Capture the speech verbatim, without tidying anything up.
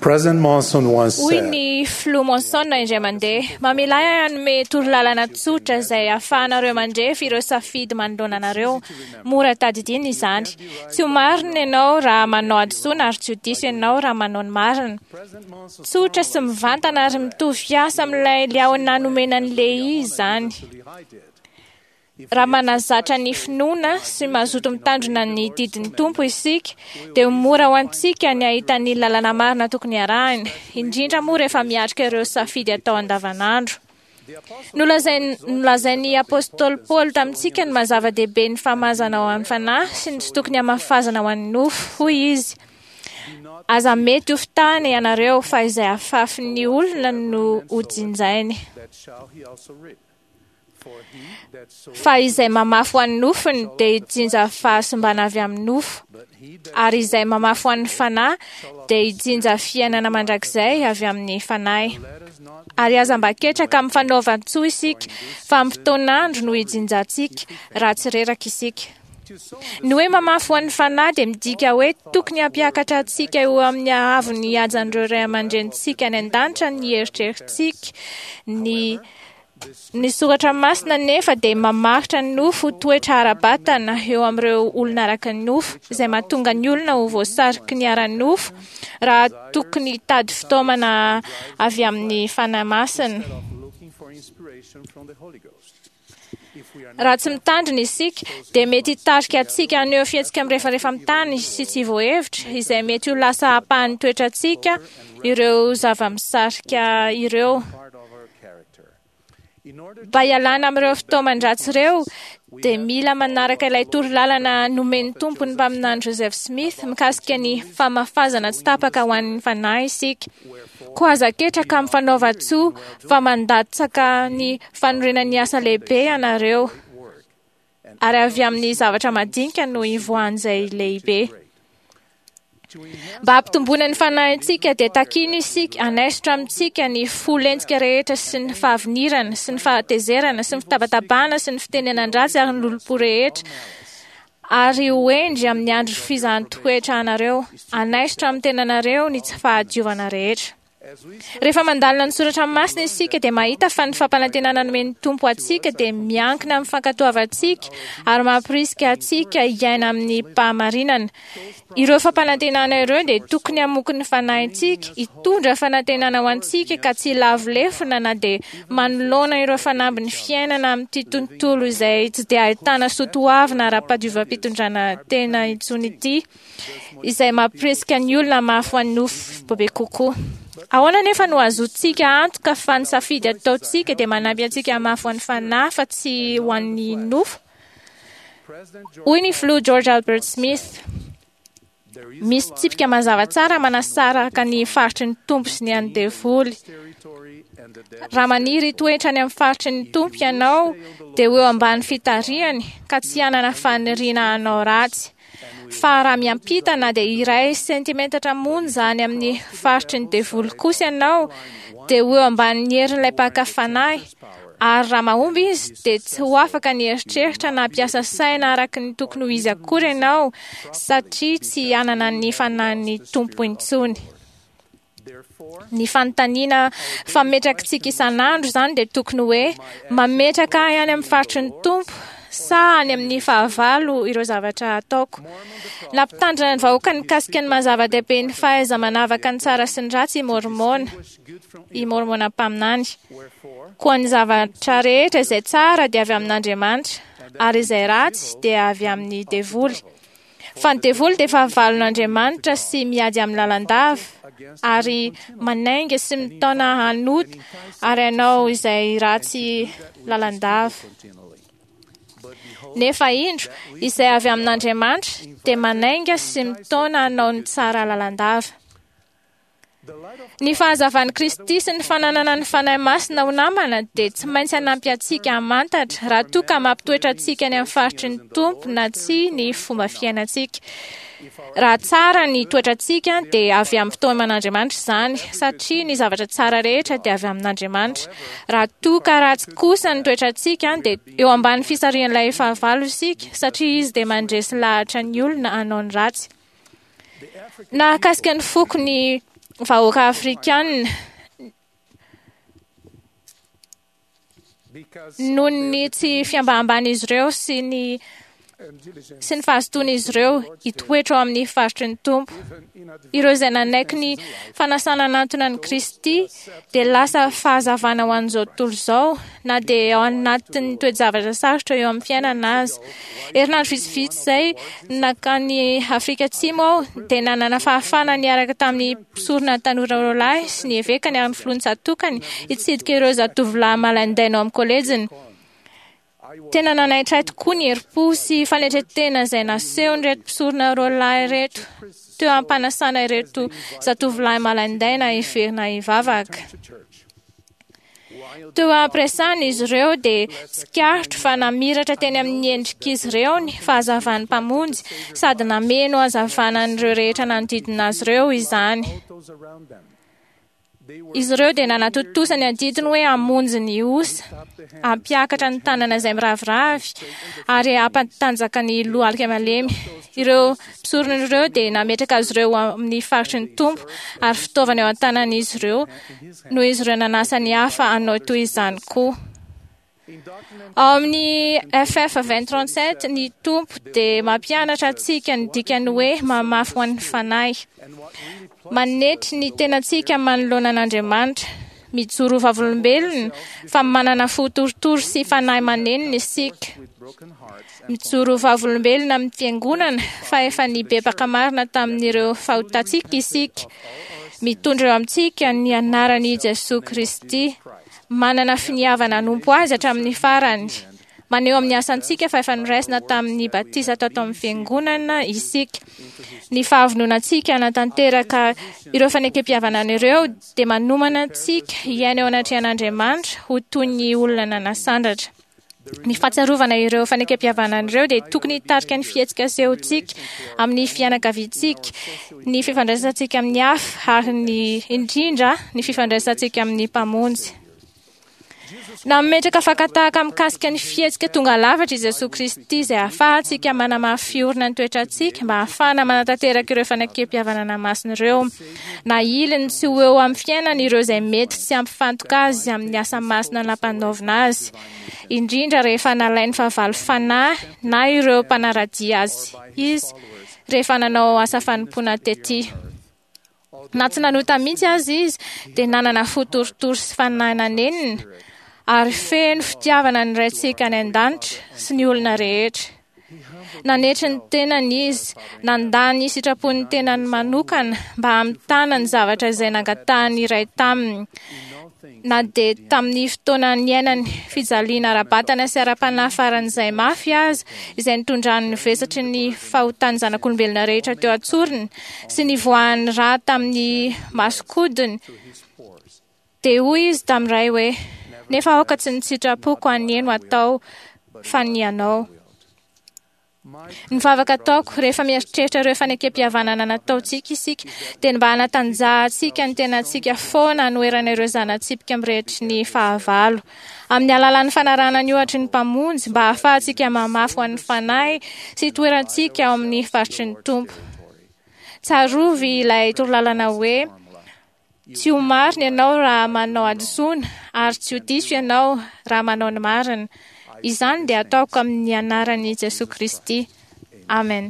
President Monson once Hoy said, ny filoha Monson indray mandeha, mamela ahy hanome torolalana tsotra izay ahafahanareo mandrefy ireo safidy manoloana anareo. Mora tadidina izany. Tsy ho marina ianao raha manao hadisoana ary tsy ho diso ianao raha manao ny marina. President Monson Tsotra sy mivantana ary mitovy fiasa amin'ilay liahona nomena an'i Lehi izany. I did. Raha manazatra ny finoana sy mazoto mitandrina ny didin'ny Tompo isika, dia ho mora ho antsika ny hahita ny lalana marina tokony harahina, indrindra moa rehefa miatrika ireo safidy atao andavanandro. Nolazain- Nolazain'ny apôstôly Paoly tamintsika ny maha-zava-dehibe ny famazana ho an'ny fanahy sy ny tsy tokony hamafazana ho an'ny nofo, hoy izy. Aza mety ho fitahana ianareo fa izay afafin'ny olona no ho jinjainy. That shall he also reap. For he that soweth, Fa izay mamafy ho an'ny nofony dia hijinja fahasimbana avy amin'ny nofo, but he that ary izay mamafy ho an'ny fanahy dia hijinja fiainana mandrakizay avy amin'ny fanahy. let us not Ary aza mba ketraka amin'ny fanaovan-tsoa isika, fa amin'ny fotoan'andro no hijinjantsika raha tsy reraka isika. to sow Ny hoe mamafy ho an'ny fanahy dia midika hoe tokony hampiakatra antsika eo amin'ny haavon'ny hajan'ireo ray aman-drenintsika any an-danitra ny eritreritsika, ny ny soratra masina nefa dia mamaritra ny nofo ho toetra ara-batana eo amin'ireo olona araka ny nofo, izay mahatonga ny olona ho voasariky ny ara-nofo raha tokony hitady fitaomana avy amin'ny fanahy masina. instead of looking for inspiration from the Holy Ghost. If we are not Raha tsy mitandrina isika dia mety hitarika antsika haneho fihetsika mirefarefa amin'ny tany sy tsy voahevitra, izay mety ho lasa ampahan'ny toetrantsika ireo zava-misarika ireo. part of our character. In order Mba hialana amin'ireo fitaoman-dratsy ireo dia mila manaraka ilay torolalana nomen'ny Tompo ny mpaminany Joseph Smith mikasika ny famafazana tsy tapaka ho an'ny fanahy isika. Koa aza ketraka amin'ny fanaovan-tsoa fa mandatsaka ny fanorenan'ny asa lehibe ianareo, work and ary avy amin'ny zavatra madinika no ivoahan'izay lehibe. to enhance Mba hampitomboana ny fanahintsika dia takina isika hanaisotra amintsika ny fo lentika rehetra sy ny fahavinirana sy ny fahatezerana sy ny fitabatabana sy ny fitenenan-dratsy ary ny lolompo rehetra, ary ho hendry amin'ny andro fizahan-toetra anareo, hanaisotra amin'ny tenanareo ny tsy fahadiovana rehetra. as we Rehefa mandalina ny soratra masina isika dia mahita fa ny fampanantenana nomen'ny Tompo antsika dia miankina amin'ny fankatoavantsika ary mampirisika antsika hiaina amin'ny fahamarinana. Ireo fampanantenana ireo dia tokony hamoky ny fanahintsika, hitondra fanantenana ho antsika ka tsy hilavo lefona na dia manoloana ireo fanambin'ny fiainana amin'ity tontolo izay tsy dia ahitana soatoavina ara-padiovam-pitondrana tena intsony ity, izay mampirisika ny olona mafy ho an'ny nofo bebe kokoa. Ahoana nefa no azontsika antoka fa ny safidy ataontsika dia manampy antsika hamafy ho an'ny fanahy fa tsy ho an'ny nofo? President George Hoy ny filoha George Albert Smith, there is misy tsipika mazava tsara manasaraka ny faritry ny Tompo sy ny an'ny devoly. territory and the devil's Raha maniry hitoetra any amin'ny faritry ny Tompo ianao, dia ho eo ambany fitarihany ka tsy hanana faniriana hanao ratsy. Fa raha miampita na dia iray sentimetatra monja any amin'ny faritry ny devoly kosa ianao, dia ho eo ambanin'ny herin'ilay mpaka fanahy. Ary raha mahomby izy, dia tsy ho afaka ny eritreritra na hampiasa saina araka ny tokony ho izy akory ianao, satria tsy hanana ny fanahin'ny Tompo intsony. Therefore, Ny fanontaniana fametrakitsika isan'andro izany dia tokony hoe mametraka ahy any amin'ny faritry ny Tompo sa any amin'ny fahavalo ireo zavatra ataoko. Nampitandrina ny vahoaka nikasika ny maha-zava-dehibe ny fahaiza-manavaka ny tsara sy ny ratsy i Môrmôna, push good from i Môrmôna mpaminany. wherefore Koa ny zavatra rehetra izay tsara dia avy amin'Andriamanitra, ary izay ratsy dia avy amin'ny devoly. Fa ny devoly dia fahavalon'Andriamanitra sy miady amin'ny lalandava, ary manainga sy mitaona hanota ary hanao izay ratsy lalandava. continually. But behold, Nefa indro, izay avy amin'Andriamanitra dia manainga sy mitaona hanao ny tsara lalandava. the light of Ny fahazavan'i Kristy sy ny fananana ny Fanahy Masina ho namana dia tsy maintsy hanampy antsika hamantatra raha toa ka mampitoetra antsika any amin'ny faritry ny Tompo na tsia ny fomba fiainantsika. Raha tsara ny toetrantsika dia avy amin'ny fitaoman'Andriamanitra izany, satria ny zavatra tsara rehetra dia avy amin'Andriamanitra. Raha toa ka ratsy kosa ny toetrantsika dia eo ambany fisarihan'ilay fahavalo isika, satria izy dia mandresy lahatra ny olona hanao ny ratsy. the African Nahakasika ny foko ny vahoaka afrikanina noho ny tsy fiambaham-ban'izy ireo sy ny sy ny fahazotoan'izy ireo hitoetra ao amin'ny faritry ny Tompo. Ireo izay nanaiky ny fanasana anantona an'i Kristy dia lasa fahazavana ho an'izao tontolo izao na dia ao anatin'ny toe-javatra sarotra eo amin'ny fiainana aza. Herinandro vitsivitsy izay nankany Afrika Atsimo aho dia nanana fahafahana niaraka tamin'ny mpisorona tanora roa lahy sy ny evekany ary ny filohan'ny tsatokany hitsidika ireo zatovolahy malaindaina ao amin'ny kolejiny. Tena nanaitra ahy tokoa ny herim-po sy fanetren-tena izay nasehon'ireto mpisorona roa lahy ireto teo am-panasana ireto zatovolahy malaindaina hiverina hivavaka. Teo am-piresahana izy ireo dia tsikaritro fa namiratra teny amin'ny endrik'izy ireo ny fahazavan'ny Mpamonjy sady nameno hazavana an'ireo rehetra nanodidina azy ireo izany. Izy ireo dia nanatontosa ny adidiny hoe hamonjy ny osa, hampiakatra ny tanana izay miraviravy ary hampatanjaka ny lohalika malemy. Ireo mpisorona ireo dia nametraka azy ireo amin'ny faritry ny Tompo ary fitaovana eo an-tanan'izy ireo noho izy ireo nanasa ny hafa hanao toy izany koa. Ao amin'ny F F vingt trente-sept, ny Tompo dia mampianatra antsika ny dikany hoe mamafy ho an'ny fanahy. Manetry ny tenantsika manoloana an'Andriamanitra, mijoro vavolombelona fa manana fo torotoro sy fanahy manenina isika. Mijoro vavolombelona amin'ny fiangonana fa efa nibebaka marina tamin'ireo fahotantsika isika. Mitondra eo amintsika ny anaran'i Jesoa Kristy. Manana finiavana hanompo azy hatramin'ny farany. Maneho amin'ny asantsika fa efa noraisina tamin'ny batisa tato amin'ny fiangonana isika. Ny fahavononantsika hanatanteraka ireo fanekempihavanana ireo dia manomana antsika hiaina eo anatrehan'Andriamanitra ho toy ny olona nanasandratra. Ny fahatsiarovana ireo fanekempihavanana ireo dia tokony hitarika ny fihetsika asehontsika amin'ny fianakaviantsika, ny fifandraisantsika amin'ny hafa ary ny indrindra ny fifandraisantsika amin'ny Mpamonjy. Nametraka fakan-tahaka mikasika ny fihetsika tonga lafatra i Jesoa Kristy izay ahafahantsika manamafy orina ny toetrantsika mba ahafahana manatanteraka ireo fanekempihavanana masina ireo. Na iliny tsy ho eo amin'ny fiainana ireo izay mety tsy hampifantoka azy amin'ny asa masina nampanaovina azy, indrindra rehefa nalain'ny fahavalo fanahy na ireo mpanara-dia azy izy rehefa nanao asa fanompoana tety. Na tsy nanota mihitsy azy izy dia nanana fo torotoro sy fanahy nanenina ary feno fitiavana ny Raintsika any an-danitra sy ny olona rehetra. Nanetry ny tenany izy, nandà ny sitrapon'ny tenany manokana mba hamitana ny zavatra izay nangatahany iray taminy. Na dia tamin'ny fotoana niainany fijaliana ara-batana sy ara-panahy faran'izay mafy aza, izay nitondrany ny vesatry ny fahotan'ny zanak'olombelona rehetra teo an-tsorony sy nivoahan'ny rà tamin'ny masokodiny, dia hoy izy tamin'ny Ray hoe: nefa aoka tsy ny sitrapoko anie no atao fa ny anao. Ny vavaka ataoko rehefa mieritreritra ireo fanekempihavanana nataontsika isika dia ny mba hanatanjahantsika ny tenantsika foana hanoherana ireo zana-tsipika mirehetry ny fahavalo. Amin'ny alalan'ny fanarahana ny ohatry ny Mpamonjy mba hahafahantsika mamafy ho an'ny fanahy sy hitoerantsika ao amin'ny faritry ny Tompo. Tsarovy ilay torolalana hoe: tsy ho marina ianao raha manao hadisoana ary tsy ho diso ianao raha manao ny marina. Izany dia ataoko amin'ny anaran'i Jesoa Kristy. Amen.